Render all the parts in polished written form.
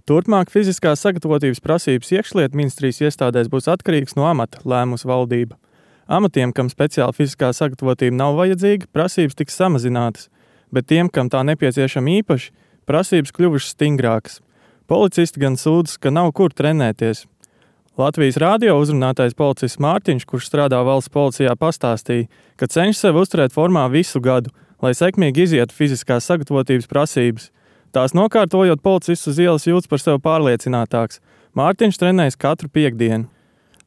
Turpmāk fiziskās sagatavotības prasības iekšlietu ministrijas iestādēs būs atkarīgs no amata, lēmusi valdība. Amatiem, kam speciāla fiziskā sagatavotība nav vajadzīga, prasības tiks samazinātas, bet tiem, kam tā nepieciešama īpaši, prasības kļuvušas stingrākas. Policisti gan sūdzas, ka nav kur trenēties. Latvijas radio uzrunātais policists Mārtiņš, kurš strādā valsts policijā, pastāstīja, ka cenšas sevi uzturēt formā visu gadu, lai sekmīgi izietu fiziskās sagatavotības prasības. Tās nokārtojot, policists uz ielas jūtas par sevi pārliecinātāks. Mārtiņš trenējas katru piektdienu.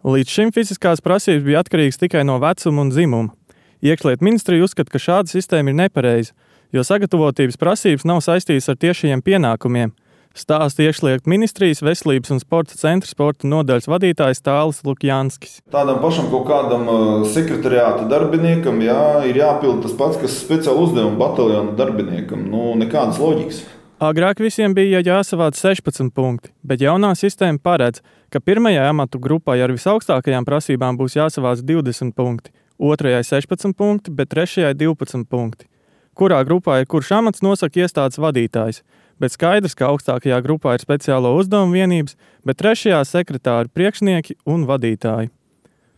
Līdz šim fiziskās prasības bija atkarīgas tikai no vecuma un dzimuma. Iekšlietu ministrija uzskata, ka šāda sistēma ir nepareiza, jo sagatavotības prasības nav saistītas ar tiešajiem pienākumiem. Stāsta iekšlietu ministrijas veselības un sporta centra sporta nodaļas vadītājs Tālis Lukjanskis. Tādam pašam kaut kādam sekretariāta darbiniekam ir jāpild tas pats, kas speciāla uzdevuma bataljona darbiniekam. Nekādas loģikas. Agrāk visiem bija jāsavāc 16 punkti, bet jaunā sistēma paredz, ka pirmajai amatu grupai ar visaugstākajām prasībām būs jāsavāc 20 punkti, otrajai 16 punkti, bet trešajai 12 punkti. Kurā grupā ir kurš amats, nosaka iestādes vadītājs, bet skaidrs, ka augstākajā grupā ir speciālo uzdevumu vienības, bet trešajā sekretāri, priekšnieki un vadītāji.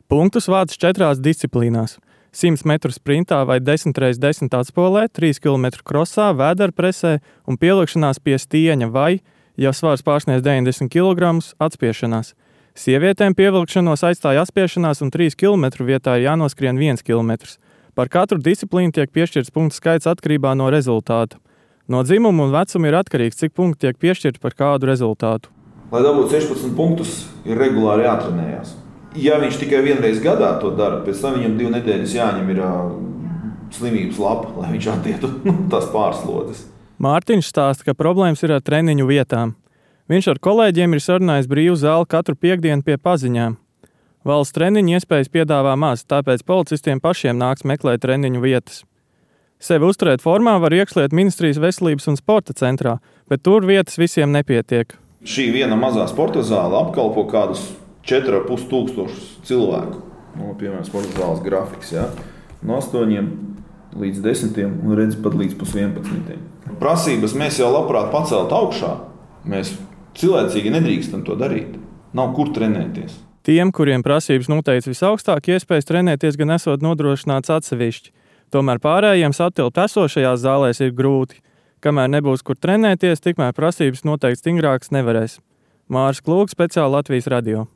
Punktus vāc 4 disciplīnās. 100 metru sprintā vai 10x10 atspolē, 3 km krosā, vēderpresē un pielikšanās pie stieņa vai, ja svars pārsniedz 90 kg, atspiešanās. Sievietēm pievilkšanos aizstāja atspiešanās un 3 km vietā jānoskrien 1 km. Par katru disciplīnu tiek piešķirts punktu skaits atkarībā no rezultāta. No dzimuma un vecuma ir atkarīgs, cik punkti tiek piešķirti par kādu rezultātu. Lai dabūtu 16 punktus, ir regulāri jātrenējās. Ja viņš tikai vienreiz gadā to dara, pēc tam viņam 2 nedēļas jāņem ir slimības lapa, lai viņš attietu tās pārslodzes. Mārtiņš stāsta, ka problēmas ir ar treniņu vietām. Viņš ar kolēģiem ir sarunājis brīvu zāli katru piektdienu pie paziņām. Valsts treniņu iespējas piedāvā maz, tāpēc policistiem pašiem nāks meklēt treniņu vietas. Sevi uzturēt formā var iekšlietu ministrijas veselības un sporta centrā, bet tur vietas visiem nepietiek. Šī viena mazā sporta zāle apkalpo kādus 4,5 tūkstošus cilvēku. Piemēram, sporta zāles grafiks, no 8 līdz 10 un redz pat līdz 11. Prasības mēs jau labprāt pacelt augšā. Mēs cilvēcīgi nedrīkstam to darīt. Nav kur trenēties. Tiem, kuriem prasības noteikts visaugstāk, iespējas trenēties gan esot nodrošināts atsevišķi. Tomēr pārējiem satilpt esošajās zālēs ir grūti. Kamēr nebūs kur trenēties, tikmēr prasības noteikti stingrākas nevarēs. Māris Klūks, speciāli Latvijas radio.